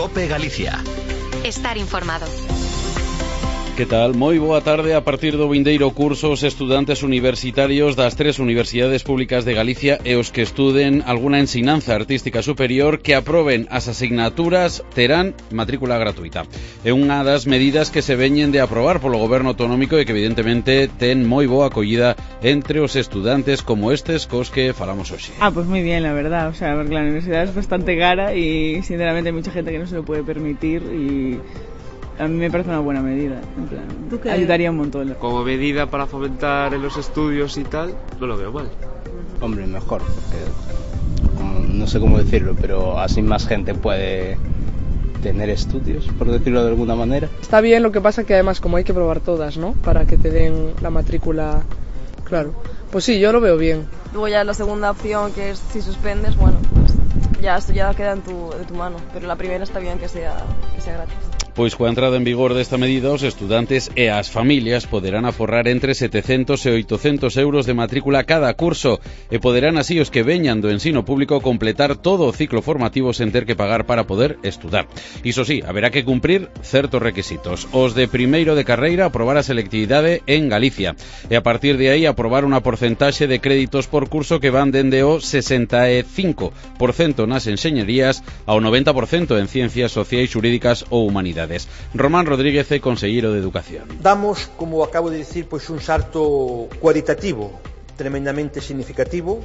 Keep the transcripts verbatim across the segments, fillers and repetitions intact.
COPE Galicia. Estar informado. Que tal? Moi boa tarde. A partir do vindeiro curso, os estudantes universitarios das tres universidades públicas de Galicia e os que estuden alguna ensinanza artística superior que aproben as asignaturas terán matrícula gratuita. É unha das medidas que se veñen de aprobar polo goberno autonómico e que evidentemente ten moi boa acollida entre os estudantes como estes cos que falamos hoxe. Ah, pues muy bien, la verdad. O sea, porque la universidad es bastante cara y sinceramente hay mucha gente que no se lo puede permitir y a mí me parece una buena medida, en plan, ayudaría un montón. Como medida para fomentar en los estudios y tal, no lo veo mal. Hombre, mejor, porque como, no sé cómo decirlo, pero así más gente puede tener estudios, por decirlo de alguna manera. Está bien, lo que pasa que además como hay que probar todas, ¿no? Para que te den la matrícula, claro. Pues sí, yo lo veo bien. Luego ya la segunda opción, que es si suspendes, bueno, pues ya esto ya queda en tu, de tu mano. Pero la primera está bien que sea, que sea gratis. Pois coa entrada en vigor desta medida, os estudantes e as familias poderán aforrar entre setecentos e oitocentos euros de matrícula cada curso e poderán así os que veñan do ensino público completar todo o ciclo formativo sen ter que pagar para poder estudar. Iso sí, haberá que cumprir certos requisitos. Os de primeiro de carreira aprobar a selectividade en Galicia e a partir de aí aprobar unha porcentaxe de créditos por curso que van dende o sesenta e cinco por cento nas enxeñerías ao noventa por cento en ciencias sociais, xurídicas ou humanidades. Román Rodríguez é conselleiro de Educación. Damos, como acabo de dicir, pois un salto cualitativo tremendamente significativo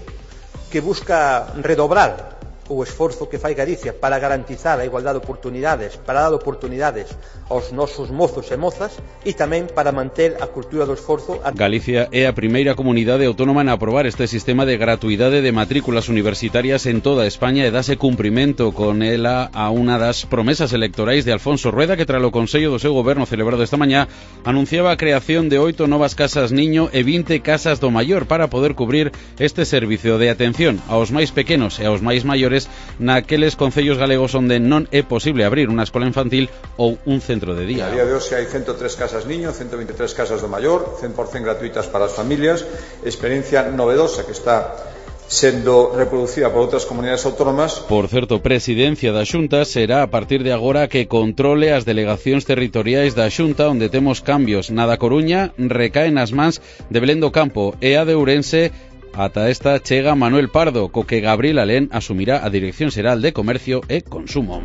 que busca redobrar o esforzo que fai Galicia para garantizar a igualdade de oportunidades, para dar oportunidades aos nosos mozos e mozas e tamén para manter a cultura do esforzo. Galicia é a primeira comunidade autónoma en aprobar este sistema de gratuidade de matrículas universitarias en toda España e dase cumprimento con ela a unha das promesas electorais de Alfonso Rueda, que tralo Consello do seu goberno celebrado esta mañá anunciaba a creación de oito novas casas niño e vinte casas do maior para poder cubrir este servicio de atención aos máis pequenos e aos máis maiores naqueles concellos galegos onde non é posible abrir unha escola infantil ou un centro de día. A día de hoxe hai ciento tres casas niño, ciento veintitrés casas do maior, cen por cento gratuitas para as familias, experiencia novedosa que está sendo reproducida por outras comunidades autónomas. Por certo, Presidencia da Xunta será a partir de agora que controle as delegacións territoriais da Xunta, onde temos cambios. Na da Coruña recaen as mans de Belén do Campo e a de Ourense. Ata esta chega Manuel Pardo, co que Gabriel Alén asumirá a Dirección Xeral de Comercio e Consumo.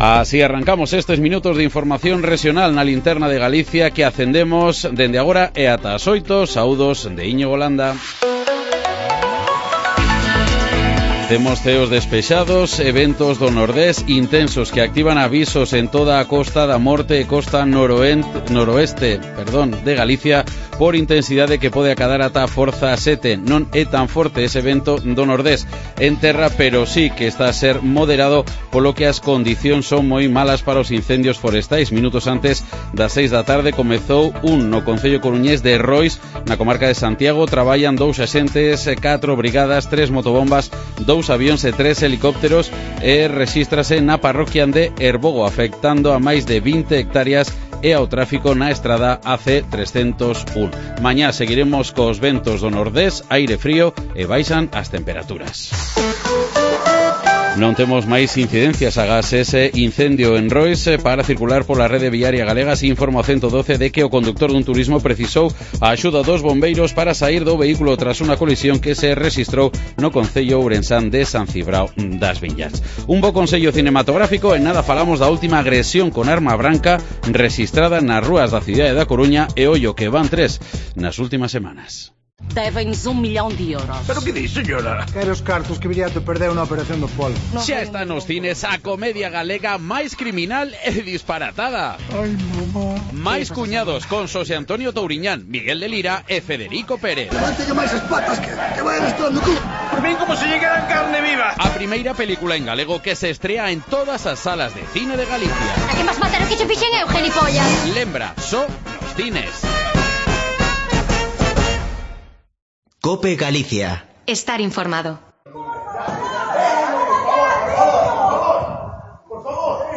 Así arrancamos estes minutos de información regional na linterna de Galicia que acendemos dende agora e ata as oito. Saúdos de Íñigo Landa. Temos ceos despexados, eventos do Nordés intensos que activan avisos en toda a costa da Morte e costa noroeste, noroeste perdón, de Galicia por intensidade que pode acadar ata a forza sete. Non é tan forte ese evento do Nordés en terra, pero sí que está a ser moderado, polo que as condicións son moi malas para os incendios forestais. Minutos antes das seis da tarde comezou un no concello coruñés de Rois, na comarca de Santiago. Traballan dous axentes, catro brigadas, tres motobombas, dous avións e tres helicópteros e rexístrase na parroquia de Herbogo, afectando a máis de vinte hectáreas e ao tráfico na estrada A C trescentos un. Mañá seguiremos cos ventos do Nordés, aire frío e baixan as temperaturas. Non temos máis incidencias agás ese incendio en Rois para circular pola rede viaria galega. Se informa o ciento doce de que o conductor dun turismo precisou a axuda dos bombeiros para sair do vehículo tras unha colisión que se rexistrou no concello ourensán de San Cibrao das Viñas. Un bo consello cinematográfico. En nada falamos da última agresión con arma branca rexistrada nas rúas da cidade da Coruña e ollo que van tres nas últimas semanas. Deben-nos un millón de euros. Pero que di, señora? Quero os cartos que Viriato perdeu na operación do polo. No, xa está nos cines a comedia galega máis criminal e disparatada. Ai, mamá. Máis cuñados con Xosé Antonio Touriñán, Miguel de Lira e Federico Pérez. Levántelle máis as patas que, que vayan estrando cu. Por min como se llegaran carne viva. A primeira película en galego que se estrea en todas as salas de cine de Galicia. A que vas matar o que che fixen eu, gilipollas. Lembra, só nos cines. COPE Galicia. Estar informado. Por favor,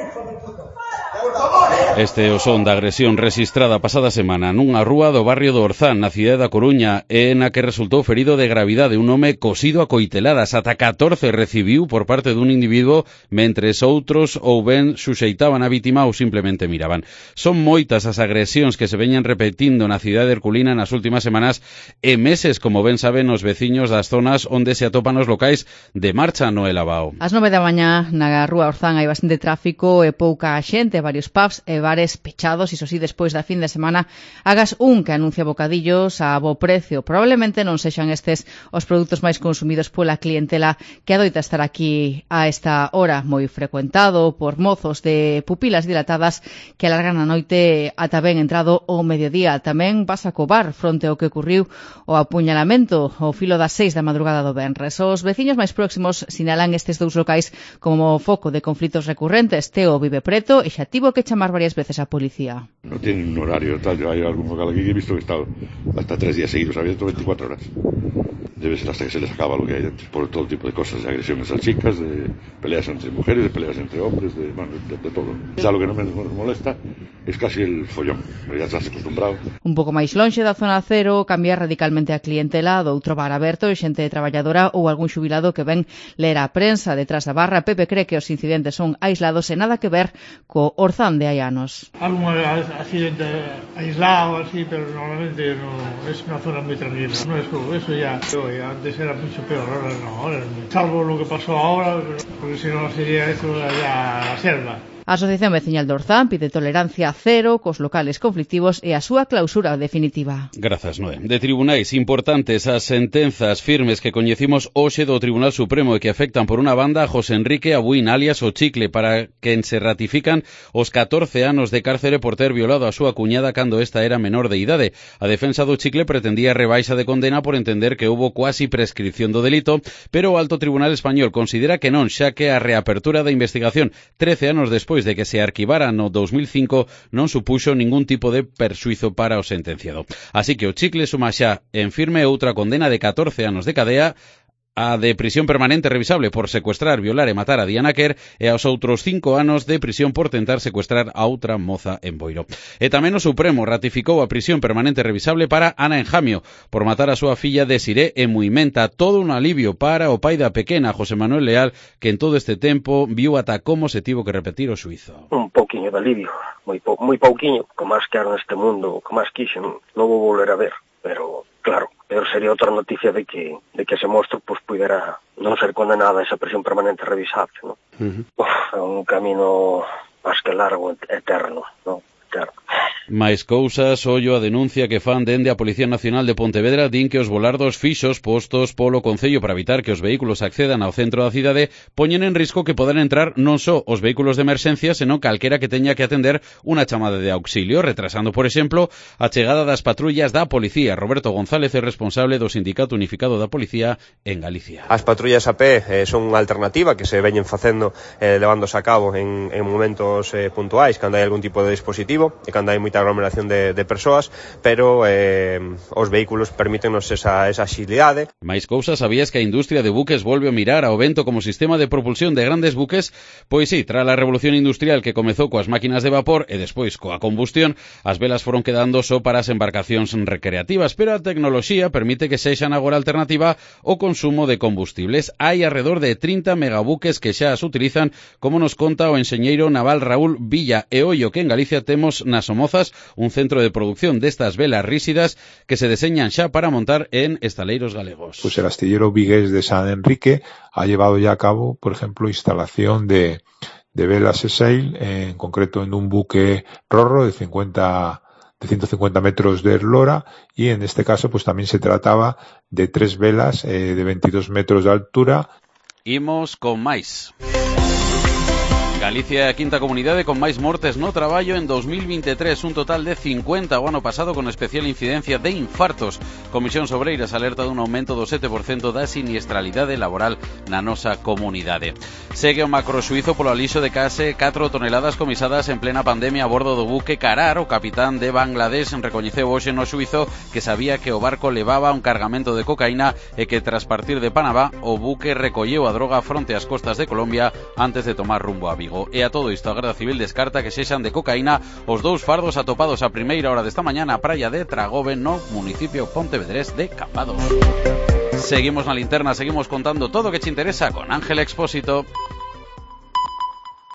por favor. Este o son da agresión rexistrada pasada semana nunha rúa do barrio do Orzán, na cidade da Coruña, e na que resultou ferido de gravidade un home cosido a coiteladas. Ata catorce recibiu por parte dun individuo, mentres outros ou ben suxeitaban a vítima ou simplemente miraban. Son moitas as agresións que se veñen repetindo na cidade herculina nas últimas semanas e meses, como ben saben os veciños das zonas onde se atopan os locais de marcha no Elabao. Ás nove da mañá na rúa Orzán hai bastante tráfico e pouca xente, varios pubs e bares pechados, iso sí, despois da fin de semana hagas un que anuncia bocadillos a bo precio. Probablemente non sexan estes os produtos máis consumidos pola clientela que adoita estar aquí a esta hora, moi frecuentado por mozos de pupilas dilatadas que alargan a noite ata ben entrado o mediodía. Tamén vas a cobar fronte ao que ocurriu o apuñalamento ao filo das seis da madrugada do venres. Os veciños máis próximos sinalan estes dous locais como foco de conflitos recurrentes. Teo vive preto e xa tivo que chamar varias veces a policía. No tienen un horario tal, yo hay algún local aquí que he visto que está hasta tres días seguidos abierto veinticuatro horas. Debe ser hasta que se les acaba lo que hay dentro, por todo tipo de cosas, de agresiones a chicas, de peleas entre mujeres, de peleas entre hombres, de, bueno, de, de todo. Ya lo que no me molesta es casi el follón, ya estás acostumbrado. Un pouco máis lonxe da zona cero, cambia radicalmente a clientela doutro bar aberto e xente traballadora ou algún xubilado que ven ler a prensa detrás da barra. Pepe cree que os incidentes son aislados e nada que ver co Orzán de hai anos. Algún accidente aislado así, pero normalmente no, es una zona muy tranquila. No es como eso ya, antes era mucho peor, ahora no, ahora es muy... Salvo lo que pasó ahora, porque si no sería eso ya la selva. A Asociación Veciñal de Orzán pide tolerancia cero cos locales conflictivos e a súa clausura definitiva. Grazas, Noé. De tribunais importantes as sentenzas firmes que coñecimos hoxe do Tribunal Supremo e que afectan por unha banda a José Enrique Abuín, alias o Chicle, para quen se ratifican os catorce anos de cárcere por ter violado a súa cuñada cando esta era menor de idade. A defensa do Chicle pretendía rebaixa de condena por entender que houbo cuasi prescripción do delito, pero o Alto Tribunal Español considera que non, xa que a reapertura da investigación trece anos despois de que se arquivara no dos mil cinco non supuxo ningún tipo de persuizo para o sentenciado. Así que o Chicle suma xa en firme outra condena de catorce anos de cadea, a de prisión permanente revisable por secuestrar, violar e matar a Diana Quer e aos outros cinco anos de prisión por tentar secuestrar a outra moza en Boiro. E tamén o Supremo ratificou a prisión permanente revisable para Ana Enjamio por matar a súa filla Desiré en Muimenta. Todo un alivio para o pai da pequena, José Manuel Leal, que en todo este tempo viu ata como se tivo que repetir o xuízo. Un pouquiño de alivio, moi, pou, moi pouquiño, como máis quero neste mundo, como máis quixen, non vou volver a ver, pero claro, pero sería outra noticia de que de que ese monstro pues, pudera non ser condenada a esa prisión permanente revisable, ¿no? Uh-huh. Uf, é un camino máis que largo, eterno, ¿no? Eterno. Mais cousas, ollo a denuncia que fan dende a Policía Nacional de Pontevedra din que os volardos fixos postos polo Concello para evitar que os vehículos accedan ao centro da cidade poñen en risco que poden entrar non só os vehículos de emerxencia, senón calquera que teña que atender unha chamada de auxilio, retrasando, por exemplo, a chegada das patrullas da Policía. Roberto González é responsable do Sindicato Unificado da Policía en Galicia. As patrullas a pé eh, son unha alternativa que se veñen facendo, eh, levándose a cabo en, en momentos eh, puntuais, cando hai algún tipo de dispositivo e cando hai moita aglomeración de, de persoas, pero eh, os vehículos permítenos esa, esa axilidade. Mais cousas, sabías que a industria de buques volve a mirar ao vento como sistema de propulsión de grandes buques? Pois sí, tras a revolución industrial que comezou coas máquinas de vapor e despois coa combustión, as velas foron quedando só para as embarcacións recreativas, pero a tecnoloxía permite que sexan agora alternativa ao consumo de combustibles. Hai alrededor de trinta megabuques que xa as utilizan, como nos conta o enxeñeiro naval Raúl Villa, e ollo que en Galicia temos nas Somozas un centro de producción destas velas ríxidas que se deseñan xa para montar en estaleiros galegos. Pues el astillero vigués de San Enrique ha llevado ya a cabo, por ejemplo, instalación de, de velas E-Sail, en concreto en un buque rorro de cincuenta de ciento cincuenta metros de eslora, y en este caso pues también se trataba de tres velas eh, de veintidós metros de altura. Imos con máis. Galicia é a quinta comunidade con máis mortes no traballo en dos mil veintitrés, un total de cincuenta o ano pasado, con especial incidencia de infartos. Comisión Obreiras alerta dun aumento do sete por cento da siniestralidade laboral na nosa comunidade. Segue o macroxuízo polo alixo de case catro toneladas comisadas en plena pandemia a bordo do buque Karar. O capitán de Bangladesh recoñeceu hoxe no xuízo que sabía que o barco levaba un cargamento de cocaína e que tras partir de Panamá o buque recolleu a droga fronte ás costas de Colombia antes de tomar rumbo a Vigo. Vigo. E a todo isto a Garda Civil descarta que sexan de cocaína os dous fardos atopados a primeira hora desta mañá na praia de Tragobe no municipio pontevedrés de Cambados. Seguimos na linterna, seguimos contando todo o que che interesa con Ángel Expósito.